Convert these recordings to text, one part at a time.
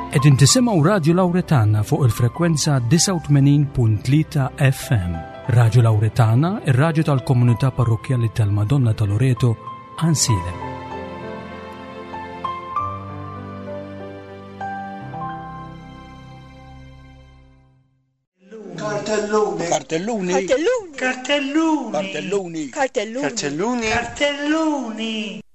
Qegħdin tisimgħu Radju Lawretana fuq il-frekwenza 89.3 FM. Radju Lawretana, ir-radju tal-komunità parrokkjali tal-Madonna ta' Loreto, Ansilem. Kartelluni. Kartelluni. Kartelluni. Kartelluni. Kartelluni. Kartelluni. Kartelluni. Kartelluni.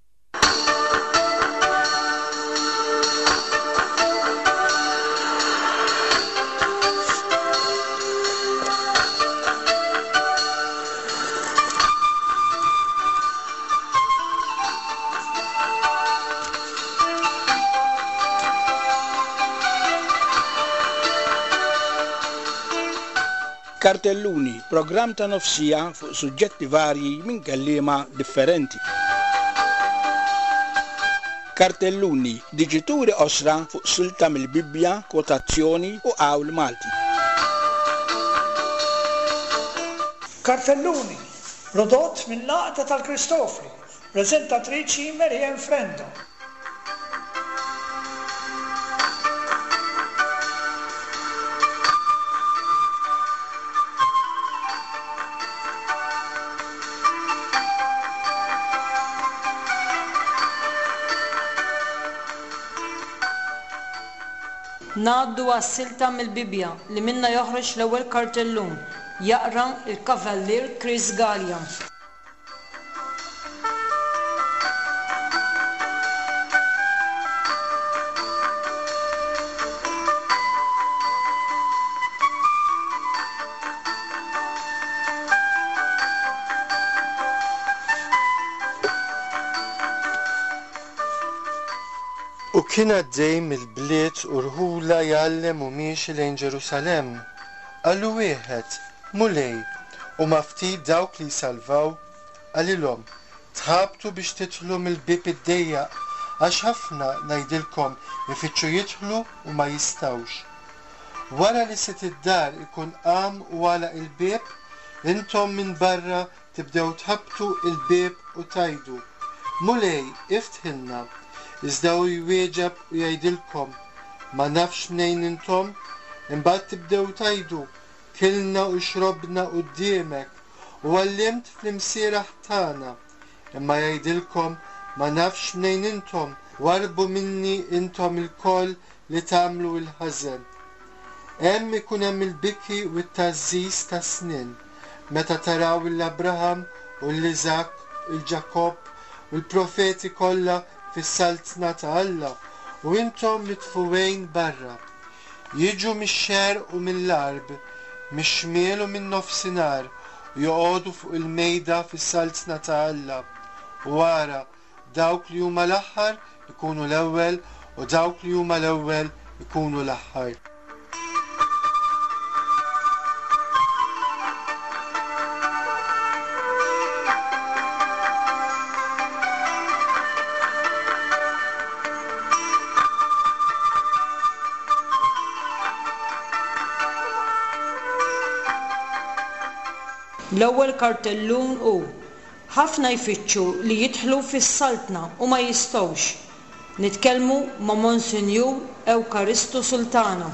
Kartelluni, programm ta' nofsija fuq suġġetti varji minn kelliema differenti. Kartelluni, diġituri qosra fuq silta mill-Bibbja, kwotazzjoni u qawl Malti. Kartelluni, prodott mill-Għaqda tal-Kristofri, preżentatriċi Mary Ann Frendo. Ngħaddu għas-silta mill-Bibbja li minnha joħroġ l-ewwel kartellun. Jaqra l-Kavallier Chris Galea. U kien għaddej mill-bliet u rħula jgħallem u miexi lejn Ġerusalemm. Qallu wieħed, Mulej, huma ftit dawk li jsalvaw? Qalilhom, Tħabtu biex tidħlu mill-bieb id-dejjaq, għax ħafna, ngħidilkom, ifittxu jidħlu u ma jistgħux. Wara li sid id-dar ikun qam u għalaq il-bieb, intom minn barra tibdew tħabbtu l-bieb u tgħidu, 'Mulej, iftħilna. Iżda hu jwieġeb u jgħidilkom, 'Ma nafx mnejn intom. Imbagħad tibdew tgħidu, 'Kilna u xrobna quddiemek, u għallimt fl-imsieraħ tagħna. Imma jgħidilkom, 'Ma nafx mnejn intom, warrbu minni intom ilkoll li tagħmlu l-ħażen. Hemm ikun hemm il-biki u t-tgħażżiż tas-snien, meta taraw 'l Abraham u 'l Iżakk u 'l Ġakobb u l-profeti kollha fis-saltna ta' Alla, u intom mitfugħin barra. Jiġu mix-xerq u mill-għarb, mix-xmiel u min-nofsinhar, u joqogħdu fuq il-mejda fis-saltna ta' Alla. U ara, dawk li huma l-aħħar ikunu l-ewwel u dawk li huma l-ewwel ikunu l-aħħar. L-ewwel kartellun hu, Ħafna jfittxu li jidħlu fis-Saltna u ma jistgħux. Nitkellmu ma' Monsinjur Ewkaristu Sultana.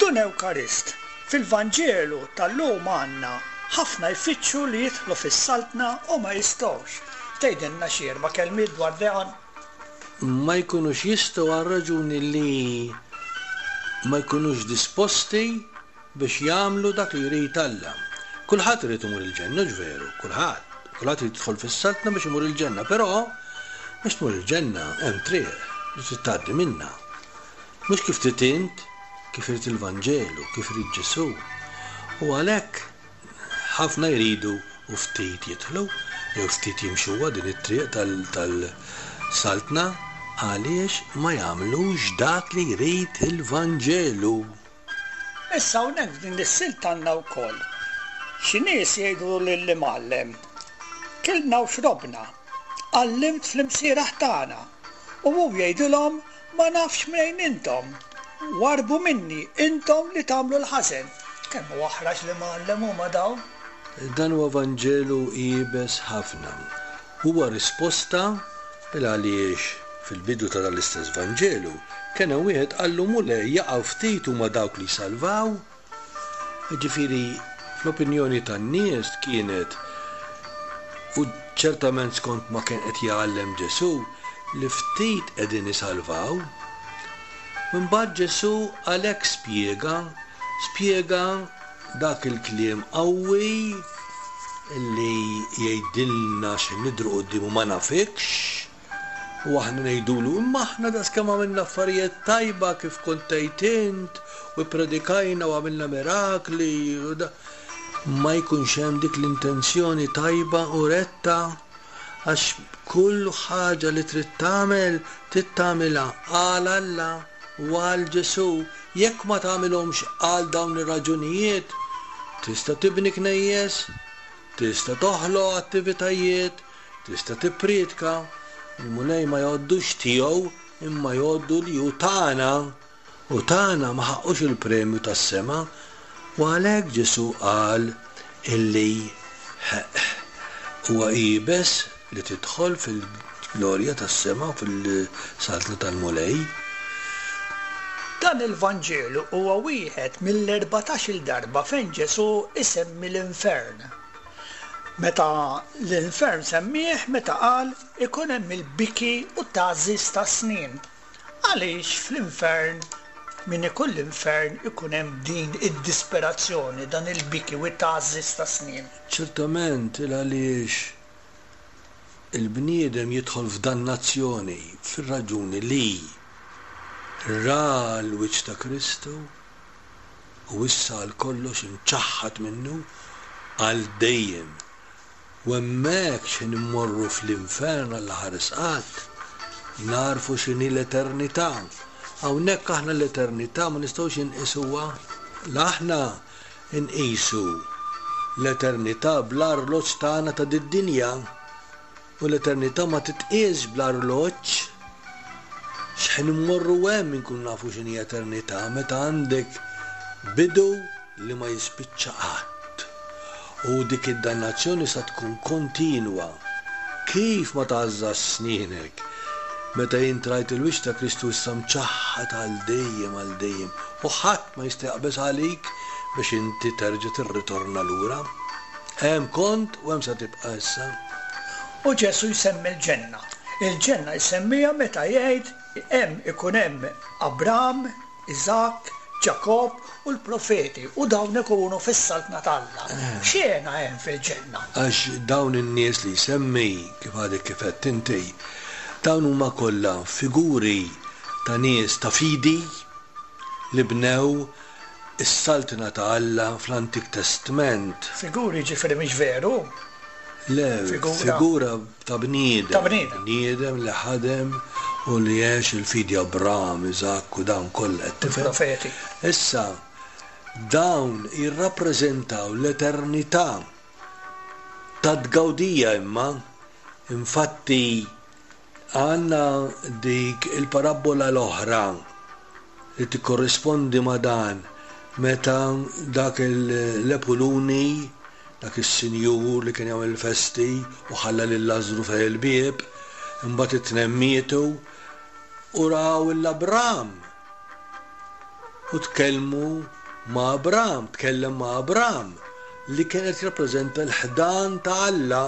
Dun Ewkarist, fil-Vanġelu tal-lum għandna ħafna jfittxu li jidħlu fis-Saltna u ma jistgħux. Tgħidilna xi erba' kelmiet dwar dan? Ma jkunux jistgħu għar-raġuni li ma jkunux disposti biex jagħmlu dak li jrid Alla. Kulħadd irid imur il-ġenna, hux veru? Kulħadd. Kulħadd irid jidħol fis-Saltna biex imur il-ġenna, però biex tmur il-ġenna hemm triq li trid tgħaddi minnha. Mhux kif trid int, kif irid il-Vanġelu, kif irid Ġesù. U għalhekk ħafna jridu u ftit jidħlu, jew ftit jimxuha din it-triq tal-Saltna għaliex ma jagħmlux dak li jrid il-Vanġelu. Issa hawnhekk f'din is-silta għandna wkoll xi nies jgħidu lill-imgħallem. Kilna u xrobna, għallimt fl-imsieraħ tagħna. U hu jgħidilhom, Ma nafx mnejn intom. Warrbu minni, intom li tagħmlu l-ħażen. Kemm hu aħrax l-Imgħallem huma dawn! Dan huwa Vanġelu iebes ħafna. Huwa risposta il għaliex fil-bidu ta' dan l-istess Vanġelu kien hemm wieħed qallu Mulej jaqaw ftit huma dawk li jsalvaw? Jiġifieri fl-opinjoni tan-nies kienet u ċertament skont ma kien qed jgħallem Ġesù li ftit qegħdin isalvaw. Imbagħad Ġesù għalhekk spjega, spjega Dak il-kliem qawwi li jgħidilna xi nidhru quddiemu ma nafikx, u aħna ngħidulu imma aħna daqskemm għamilna affarijiet tajba kif kont tgħid int u ppredikajna u għamilna mirakli u da. Ma jkunx hemm dik l-intenzjoni tajba u retta għax kull ħaġa li trid tagħmel trid tagħmilha għal Alla u għal Ġesù Jekk ma tagħmilhomx għal dawn ir-raġunijiet, tista' tibni knejjes, tista' toħloq attivitajiet, tista' tipprietka, il-Mulej ma jgħoddux tiegħu imma jgħoddu li hu tagħna, u tagħna ma ħaqqux il-premju tas-sema. U għalhekk Ġesù qal illi huwa iebes li tidħol fil-glorja tas-sema u fil-Saltna tal-Mulej. Dan il-Vanġelu huwa wieħed mill-erbatax-il darba fejn Ġesù jsemmi l-infern. Meta l-infern semmieh meta qal ikun hemm il-biki u t-tgħażżiż tas-snien. Għaliex fl-infern, min ikun l-infern ikun hemm din id-disperazzjoni, dan il-biki u t-tgħażżiż tas-snien? Ċertament, il-għaliex il-bniedem jidħol f'dannazzjoni fir-raġuni li ra l-wiċċ ta' Kristu u issa għal kollox imċaħħad minnu għal dejjem. U hemmhekk x'ħin immorru fl-infern għall-aħħar isqat, nagħrfu x'inhi l-eternità. Hawnhekk aħna l-eternità ma nistgħux inqisuha. La aħna Inqisu l-eternità bl-arloġġ tagħna ta' did-dinja, u l-eternità ma titqiesx bl-arloġġ. X'ħin immorru hemm inkunu nafu x'inhi eternità, meta għandek bidu li ma jispiċċa qatt. U dik id-dannazzjoni sa tkun kontinwa. Kif ma tgħażżax snienek meta int rajt il-wiċċ ta' Kristu issa mċaħħad għal dejjem għal dejjem u ħadd ma jista' jaqbeż għalik biex inti terġa' tirritorna lura. Hemm kont u hemm sa tibqa' issa. U Ġesù jsemmi l-ġenna. Il-ġenna jsemmiha meta jgħid hemm ikun hemm Abram, Iżakk, Ġakobb u l-profeti u dawn ikunu fis-Saltna t'Alla. X'hena hemm fil-ġenna? Għax dawn in-nies li jsemmi, kif għadek kif għedt inti, dawn huma kollha figuri ta' nies ta' fidi, li bnew is-Saltna ta' Alla fl-Antik Testment. Figuri jiġifieri mhix veru? Le, figura ta' bniedem. Ta' bniedem. Bniedem li ħadem u li għex il-fidi Abram, Iżakk u dawn kollha, qed tifhem? Il-profeti. Issa, dawn jirrappreżentaw l-eternità ta' tgawdija imma, infatti, Għandna dik il-parabbola l-oħra li tikkorrispondi ma' dan meta dak l-epuluni, dak is-sinjur li kien jagħmel il-festi u ħalla lil Lażżru fejn il-bieb, imbagħad it-tnejn mietu u raw 'l Abram u tkellmu ma' Abram, tkellem ma' Abram li kien qed jirrappreżenta l-ħdan ta' Alla.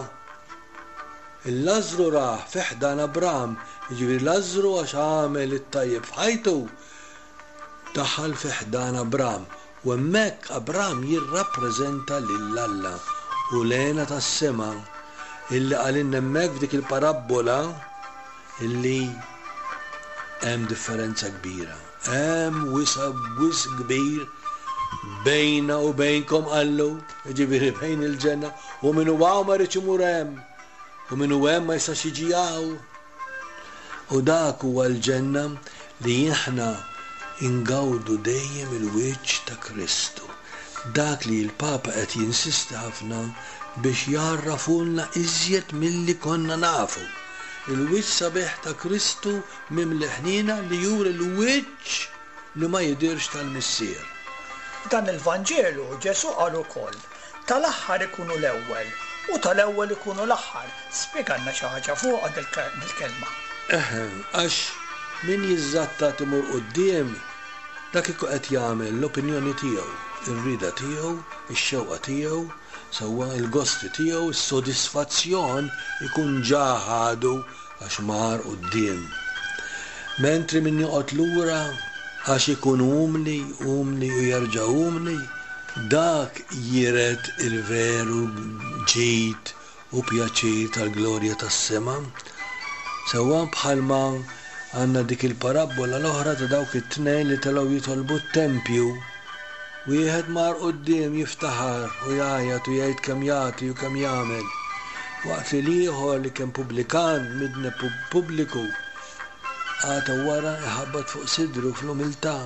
Il-Lażżru rah fi ħdan Abram, jiġifieri Lażżru għax għamel it-tajjeb f'ħajtu, daħal fi ħdan Abram, u hemmhekk Abram jirrappreżenta lil Alla u l-hena tas-sema illi qalilna hemmhekk f'dik il-parabbola illi hemm differenza kbira. Hemm wisa' wisq kbir bejna u bejnkom qallu, jiġifieri bejn il-ġenna, u min hu hawn ma jridx imur hemm, u min hu hemm ma jistax jiġi hawn. U dak huwa l-ġenna li aħna ngawdu dejjem il-wiċċ ta' Kristu. Dak li l-Papa qed jinsisti ħafna biex jgħarrafulna iżjed milli konna nafu. Il-wiċċ sabiħ ta' Kristu mimli ħniena li juri l-wiċċ li ma jidhirx tal-Missier. F'dan il-Vanġelu Ġesù qal ukoll, Tal-aħħar ikunu l-ewwel u tal-ewwel ikunu l-aħħar. Spjegalna xi ħaġa fuqha dil-kelma. Eħe, għax min jiżżattat imur quddiem, dak ikun qed jagħmel l-opinjoni tiegħu, ir-rieda tiegħu, ix-xewqa tiegħu, sewwa il-gosti tiegħu, is-sodisfazzjon ikun ġa ħadu għax mar quddiem. Mentri min joqgħod lura għax ikun umli, umli u jerġa' umli, dak jiret il-veru ġid u pjaċir tal-glorja tas-sema. Sewwa bħalma għandna dik il-parabbola l-oħra ta' dawk it-tnejn li telgħu jitolbu t-tempju. Wieħed mar quddiem jiftaħar u jgħajjat u jgħid kemm jagħti u kemm jagħmel, waqt li l-ieħor li kien pubblikan, midneb pubbliku, qagħad wara jħabbat fuq sidru fl-umiltà.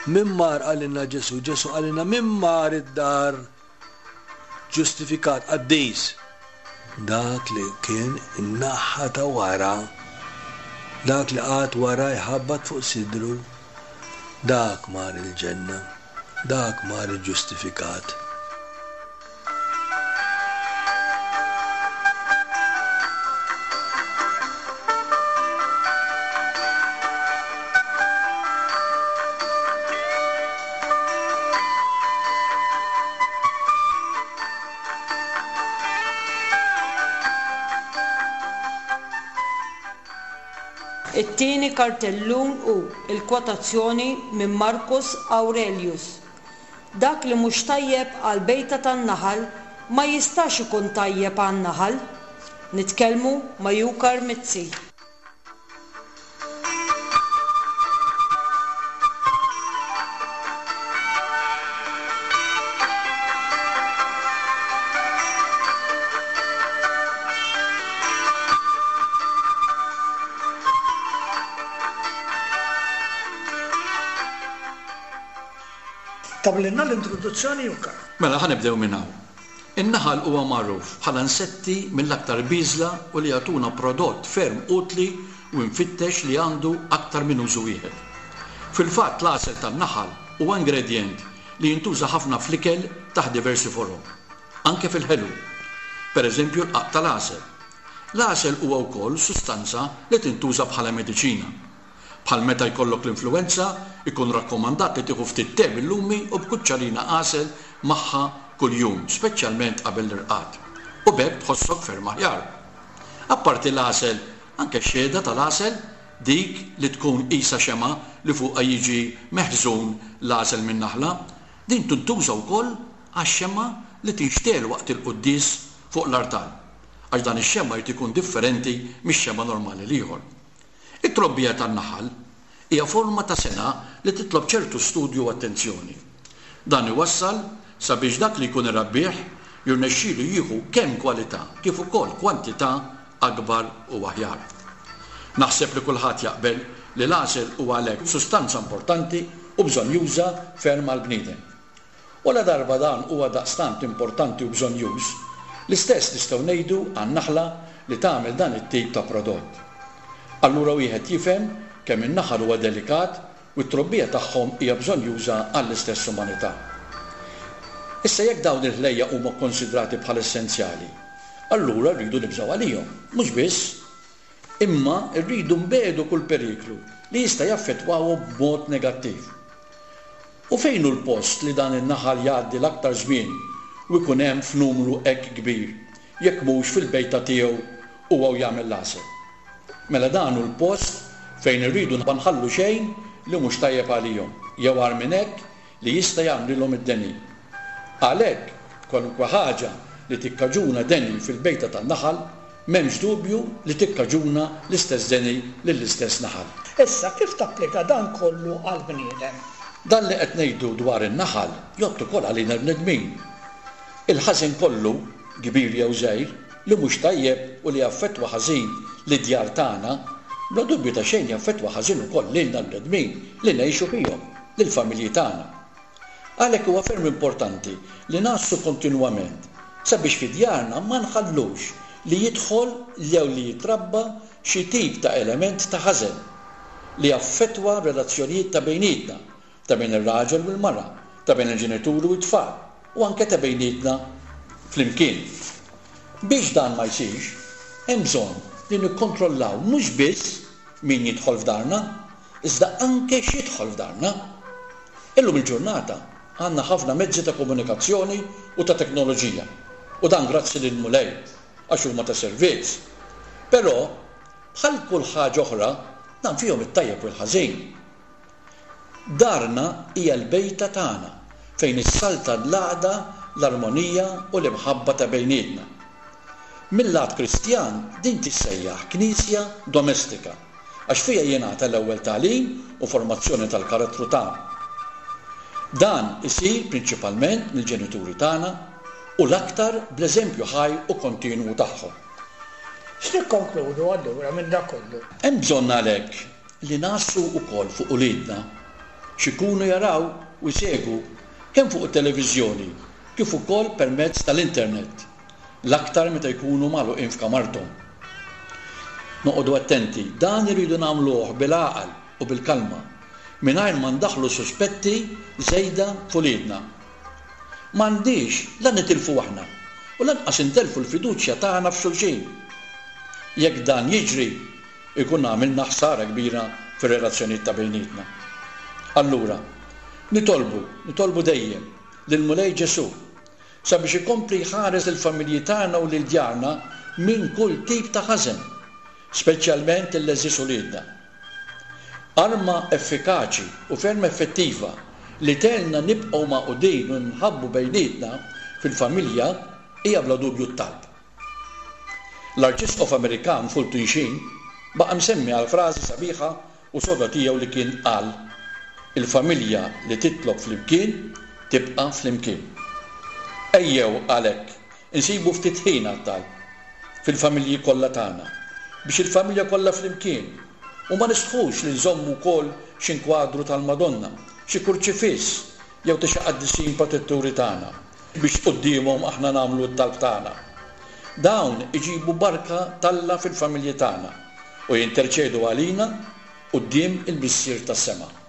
Min mar qalilna Ġesù? Ġesù qalilna min mar id-dar ġustifikat, qaddis? Dak li kien in-naħa ta' wara, dak li qagħad wara jħabbat fuq sidru, dak mar il-ġenna, dak mar iġġustifikat. It-tieni kartellun hu l-kwotazzjoni minn Marcus Aurelius, Dak li mhux tajjeb għall-bejta tan-naħal ma jistax ikun tajjeb għan-naħal. Nitkellmu ma' Yukar Mizzi. Tagħmlilna l-introduzzjoni Jukka. Mela ħa nibdew minn hawn. In-naħal huwa magħruf bħala insetti mill-aktar bieżla u li jagħtuna prodott ferm utli u imfittex li għandu aktar minn użu wieħed. Fil-fatt l-għasel tan-naħal huwa ingredjent li jintuża ħafna fl-ikel taħt diversi forom. Anke fil-ħelu. Per eżempju l-qagħaq tal-għasel. L-għasel huwa wkoll sustanza li tintuża bħala mediċina. Bħal meta jkollok l-influwenza, ikun rakkomandat li tieħu ftit te bil-lumi u b'kuċċarina għasel magħha kuljum, speċjalment qabel l-irqad. U b'hekk tħossok ferm aħjar. Apparti l-għasel, anke x-xehda tal-għasel, dik li tkun qisha xemgħa li fuqha jiġi meħżun l-għasel min-naħla, din tintuża wkoll għax-xemgħa li tinxtegħel waqt il-quddies fuq l-artal, għax dan ix-xemgħa jrid ikun differenti mix-xemgħa normali l-ieħor. It-trobbija tan-naħal hija forma ta' sengħa li titlob ċertu studju u attenzjoni. Dan iwassal sabiex dak li jkun irabbih jirnexxilu jieħu kemm kwalità kif ukoll kwantità akbar u aħjar. Naħseb li kulħadd jaqbel li l-għasel huwa għalhekk sustanza importanti u bżonnjuża ferm għall-bniedem. U ladarba dan huwa daqstant importanti u bżonnjuż, l-istess nistgħu ngħidu għan-naħla li tagħmel dan it-tip ta' prodott. Allura wieħed jifhem kemm in-naħal huwa delikat u t-trobbija tagħhom hija bżonnjuża għall-istess umanità. Issa jekk dawn il-ħlejjaq huma kkonsidrati bħala essenzjali, allura rridu nibżgħu għalihom. Mhux biss, imma rridu nbiegħdu kull periklu li jista' jaffettwahom b'mod negattiv. U fejn hu l-post li dan in-naħal jgħaddi l-aktar żmien u jkun hemm f'numru hekk kbir, jekk mhux fil-bejta tiegħu huwa u jagħmel l-għasel? Mela dan hu l-post fejn irridu ma nħallu xejn li mhux tajjeb għalihom, jew agħar minn hekk, li jista' jagħmlilhom id-deni. Għalhekk, kwalunkwe ħaġa li tikkaġuna deni fil-bejta tan-naħal, M'hemmx dubju li tikkaġuna l-istess deni lill-istess naħal. Issa, kif tapplika dan kollu għall-bniedem? Dan li qed ngħidu dwar in-naħal jgħodd ukoll għalina l-bnedmin. Il-ħażen kollu, kbir jew żgħir, li mhux tajjeb u li jaffettwa ħażin lid-djar tagħna, bla dubju ta' xejn jaffettwa ħażin ukoll lilna l-bnedmin li ngħixu fihom, lill-familji tagħna. Għalhekk huwa ferm importanti li ngħassu kontinwament sabiex fi djarna ma nħallux li jidħol jew li jitrabba xi tip ta' element ta' ħażen li jaffettwa r-relazzjonijiet ta' bejnietna, ta' bejn ir-raġel u l-mara, ta' bejn il-ġenituri u t-tfal, u anke ta' bejnietna flimkien. Biex dan ma jsirx, hemm bżonn li nikkontrollaw mhux biss min jidħol f'darna, iżda anke x'jidħol f'darna. Illum il-ġurnata għandna ħafna mezzi ta' komunikazzjoni u ta' teknoloġija, u dan grazzi lill-Mulej għax huma ta' servizz. Però, bħal kull ħaġa oħra, dan fihom it-tajjeb u l-ħażin. Darna hija l-bejta tagħna fejn issaltan l-għaqda, l-armonija u l-imħabba ta' bejnietna. Mil-lat Kristjan din tissejjaħ knisja domestika għax fiha jingħata l-ewwel tagħlim u formazzjoni tal-karattru tagħna. Dan isir prinċipalment mill-ġenituri tagħna u l-aktar bl-eżempju ħaj u kontinwu tagħhom. X'nikkonkludu allura minn dak kollu? Hemm bżonn għalhekk li ngħassu wkoll fuq uliedna, x'ikunu jaraw u jsegwu kemm fuq it-televiżjoni kif ukoll permezz tal-internet, l-aktar meta jkunu magħluqin f'kamarthom. Noqogħdu attenti, dan irridu nagħmluh bil-għaqal u bil-kalma, mingħajr ma ndaħħlu suspetti żejda f'uliedna. M'għandniex la nitilfu aħna u lanqas intellfu l-fiduċja tagħna f'xulxin. Jekk dan jiġri, ikun għamilna ħsara kbira fir-relazzjonijiet ta' bejnietna. Allura, nitolbu, nitolbu dejjem lill-Mulej Ġesù sabiex ikompli jħares lill-familji tagħna u lil djarna minn kull tip ta' ħażen, speċjalment lill-għeżież uliedna. Arma effikaċi u ferm effettiva li tgħinna nibqgħu magħqudin u nħabbu bejnietna fil-familja hija bla dubju t-talb. L-Arċisqof Amerikan Fulton Sheen baqa' msemmi għall-frażi sabiħa u soda tiegħu li kien qal, Il-familja li titlob flimkien tibqa' flimkien. Ejjew għalhekk insibu ftit ħin għat-talb fil-familji kollha tagħna, biex il-familja kollha flimkien, u ma nistħux li nżommu wkoll xi nkwadru tal-Madonna, xi kurċifiss jew ta' xi qaddisin protetturi tagħna, biex quddiemhom aħna nagħmlu t-talb tagħna. Dawn iġibu barka t'Alla fil-familji tagħna u jinterċedu għalina quddiem il-Missier tas-sema.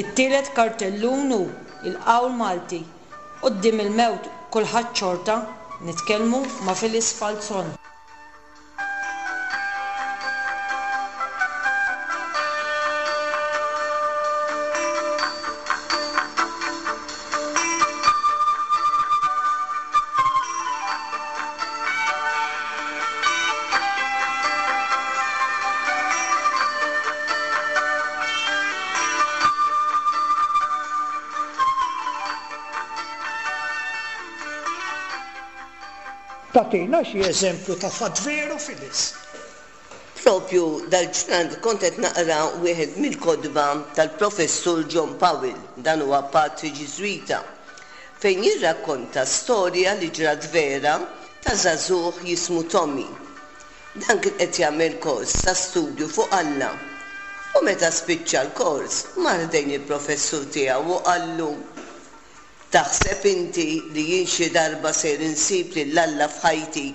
It-tielet kartellun hu il-qawl Malti, Quddiem il-mewt kulħadd xorta, nitkellmu ma' Phyllis Falzon. Tagħtina xi eżempju ta' fatt veru, Phyllis? Propju dal-ġranet kont qed naqra wieħed mill-kotba tal-Professur John Powell, dan huwa patri Ġiżwita, fejn jirrakkonta storja li ġrat vera ta' żagħżugħ jismu Tommy. Dan kien qed jagħmel kors ta' studju fuq Alla u meta spiċċa l-kors mar ħdejn il-professur tiegħu u qallu, Taħseb inti li jien xi darba ser insib lil Alla f'ħajti?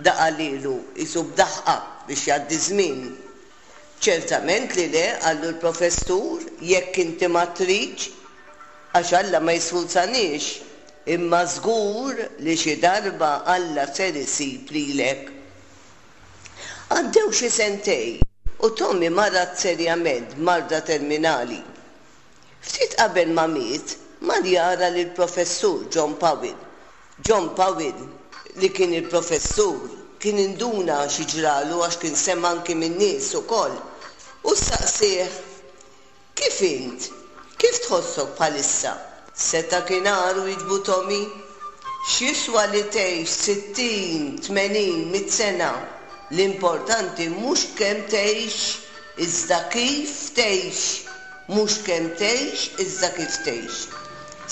Da qalhielu qisu b'daħqa biex jgħaddi ż-żmien. Ċertament li le, qallu l-professur, jekk inti ma tridx, għax Alla ma jisfurzaniex, imma żgur li xi darba Alla ser isib lilek. Għaddew xi sentejn u Tommy marad serjament b'marda terminali. Ftit qabel ma miet, mar jara lill-Professur John Powell. John Powell, li kien il-professur, kien induna xi ġralu għax kien sema' anki min-nies ukoll, u staqsieh, Kif int? Kif tħossok bħalissa? Seta' kien agħar, wieġbu Tommy. X'jiswa li tgħix 60, 80, mitt sena? L-importanti mhux kemm tgħix iżda kif tgħix. Mhux kemm tgħix iżda kif tgħix.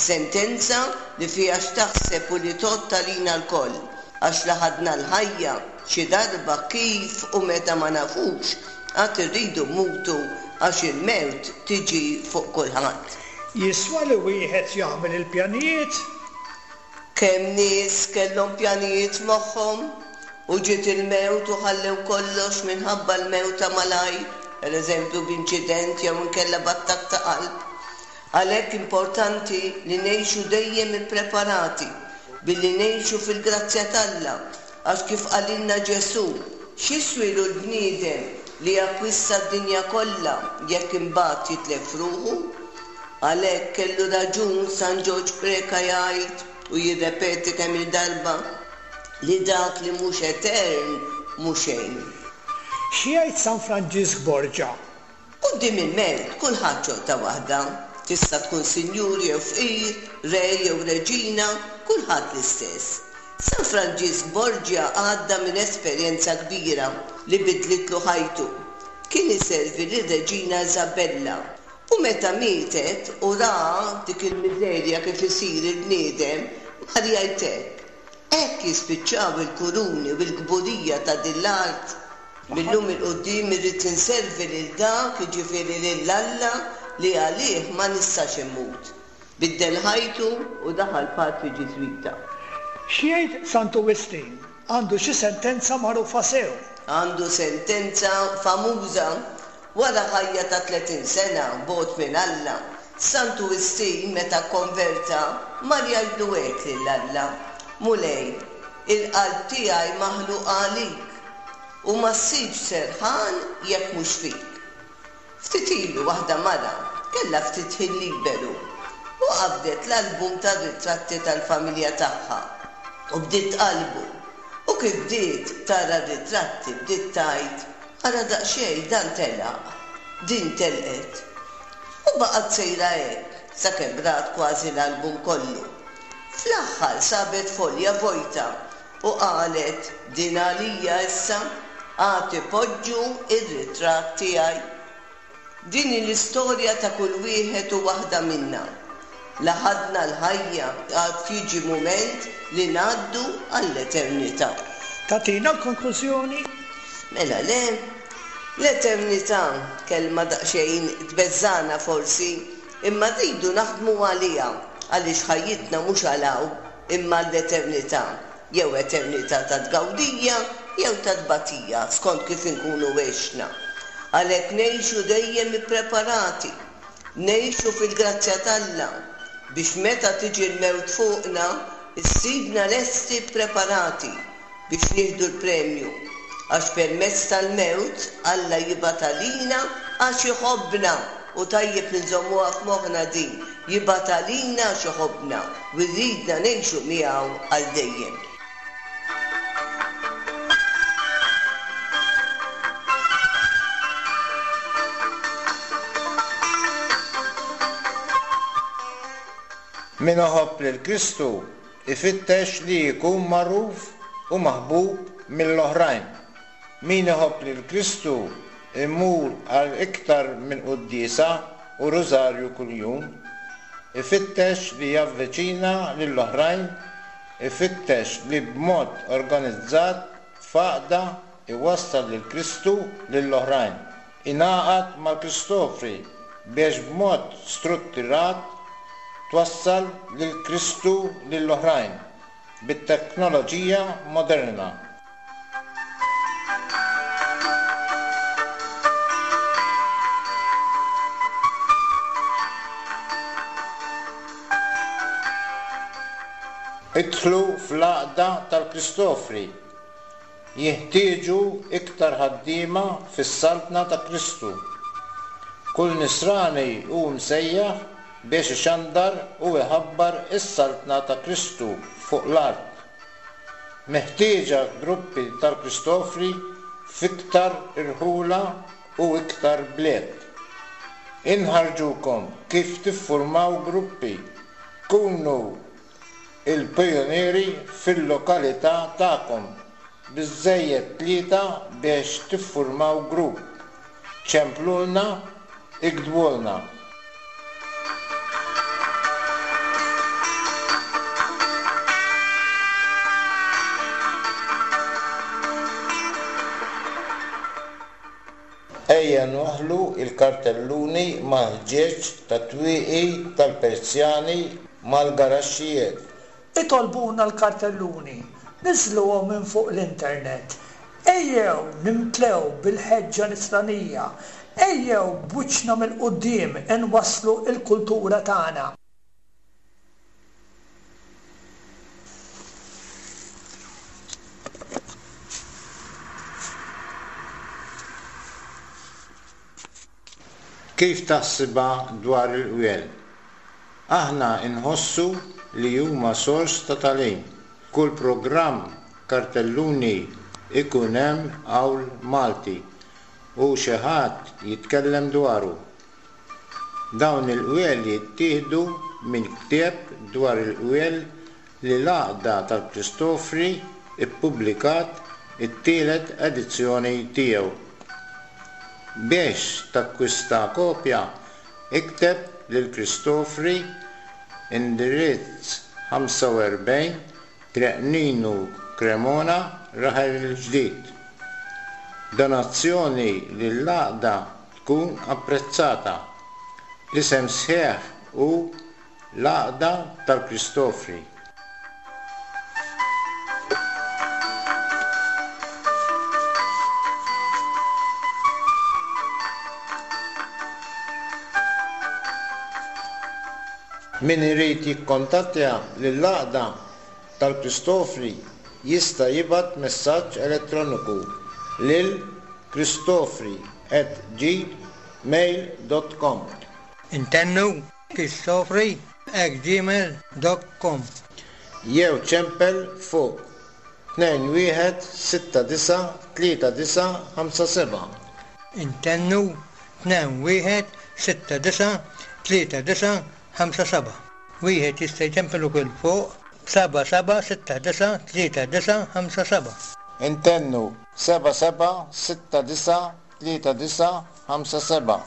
Sentenza li fiha x'taħseb u li tgħodd għalina lkoll, għax la ħadna l-ħajja, xi darba kif u meta ma nafux, għad irridu mmutu għax il-mewt tiġi fuq kulħadd. Jiswa li wieħed jagħmel il-pjanijiet? Kemm nies kellhom pjanijiet f'moħħhom u ġiet il-mewt u ħallew kollox minħabba l-mewt ta' malajr, pereżempju b'inċident jew inkella b'attakk ta' qalb. Għalhekk importanti li ngħixu dejjem ippreparati billi ngħixu fil-grazzja t'Alla għax kif qalilna Ġesù, x'jiswielu l-bniedem li jakkwista d-dinja kollha jekk imbagħad jitlef ruħu? Għalhekk kellu raġun San Ġorġ Preca jgħid u jirrepeti kemm-il darba li dak li mhux etern mhu xejn. Xi jgħid San Franġisk Borgia? Quddiem il-mewt kulħadd xorta waħda. Tista' tkun sinjur jew fqir, re jew reġina, kulħadd l-istess. San Franġisk Borgia għadda minn esperjenza kbira li bidlitlu ħajtu. Kien iservi lir-Reġina Isabella U meta mietet u ra dik il-miżerja kif isir il-bniedem, mar jgħid hekk, Hekk jispiċċaw il-kuruni u l-kburija ta' din l-art. Mil-lum 'il quddiem irrid inservi lil dak, jiġifieri lil Alla, li għalih ma nistax immut. Biddel ħajtu u daħal patri Ġiżwita. X'jgħid Santu Wistin? Għandu xi sentenza magħrufa sew. Għandu sentenza famuża Wara ħajja ta' 30 sena bogħod minn Alla, Santu Wistin meta kkonverta mar jgħidlu hekk lil Alla, Mulej, il-qalb tiegħi maħluqa għalik, u ma ssibx serħan jekk mhux fik. Ftit ilu waħda mara kellha ftit ħin liberu u qabdet l-album tar-ritratti tal-familja tagħha u bdiet tqallbu u kif bdiet tara r-ritratti bdiet tgħid Ara daqsxejn dan telaq, din telqet. U baqgħet sejra hekk sakemm rat kważi l-album kollu. Fl-aħħar sabet folja vojta u qalet din għalija issa, għad ipoġġu r-ritratt tiegħi. Din hi l-istorja ta' kull wieħed u waħda minna. La ħadna l-ħajja għad jiġi mument li ngħaddu għall-eternità. Tagħtina l-konklużjoni? Mela le. L-eternità, kelma daqsxejn tbeżżagħna forsi, imma rridu naħdmu għaliha għaliex ħajjitna mhux għal hawn imma għall-eternità. Jew eternità ta' tgawdija jew ta' tbatija, skont kif inkunu għexna. Għalhekk ngħixu dejjem ippreparati, ngħixu fil-grazzja t'Alla, biex meta tiġi l-mewt fuqna, issibna lesti ppreparati biex nieħdu l-premju. Għax permezz tal-mewt Alla jibgħat għalina għax iħobbna, u tajjeb li nżommuha f'moħħna din, Jibgħat għalina għax iħobbna u jridna ngħixu miegħu għal dejjem. Min iħobb lil Kristu jfittex li jkun magħruf u maħbub mill-oħrajn. Min iħobb lil Kristu jmur għal iktar minn quddiesa u rużarju kuljum. Ifittex li javviċina lill-oħrajn, ifittex li b'mod organizzat f'għaqda jwassal lil Kristu lill-oħrajn. Ingħaqad mal-Kristofri biex b'mod struttirat twassal lil Kristu lill-oħrajn bit-teknoloġija moderna. Idħlu fl-għaqda tal-Kristofri. Jinħtieġu iktar ħaddiema fis-Saltna ta' Kristu. Kull Nisrani hu msejjaħ biex ixandar u jħabbar is-Saltna ta' Kristu fuq l-art. Meħtieġa gruppi tal-Kristofri f'iktar irħula u iktar bliet. Inħarrġukom kif tiffurmaw gruppi. Kunu. il-pijunieri fil-lokalità tagħkom, biżżejjed tlieta biex tiffurmaw grupp. Ċemplulna, iktbulna. Ejja nwaħħlu l-kartelluni mal-ħġieġ tat-twieqi tal-persjani mal-garaxxijiet. Itolbuna l-kartelluni, niżżluhom minn fuq l-internet. Ejjew nimtlew bil-ħeġġa nisranija. Ejjew b'wiċċna mill-quddiem inwasslu l-kultura tagħna. Kif taħsibha dwar il-qwiel? Aħna nħossu li huma sors ta' tagħlim. F'kull programm kartelluni ikun hemm qawl Malti u xi ħadd jitkellem dwaru. Dawn il-qwiel jittieħdu minn ktieb dwar il-qwiel li l-Għaqda tal-Kristofri ppubblikat it-tielet edizzjoni tiegħu. Biex takkwista kopja, ikteb lil Kristofri, indirizz 45, Triq Ninu Cremona, Raħel il-Ġdid. Donazzjoni lill-Għaqda tkun apprezzata. L-isem sħiħ hu L-Għaqda tal-Kristofri. Min irid jikkontattja lill-Għaqda tal-Kristofri jista' jibgħat messaġġ elettroniku lil kristofri at gmail dot com. Intennu kristofri at gmail dot com. Jew ċempel fuq 21693957. Intennu 21693957. Wieħed jista' jċempel ukoll fuq 77693957. Intennu 77693957.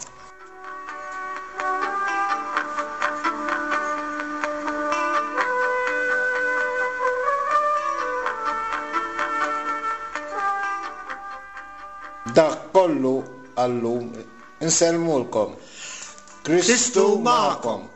Dak kollu għal-lum. Insellmulkom. Kristu magħkom.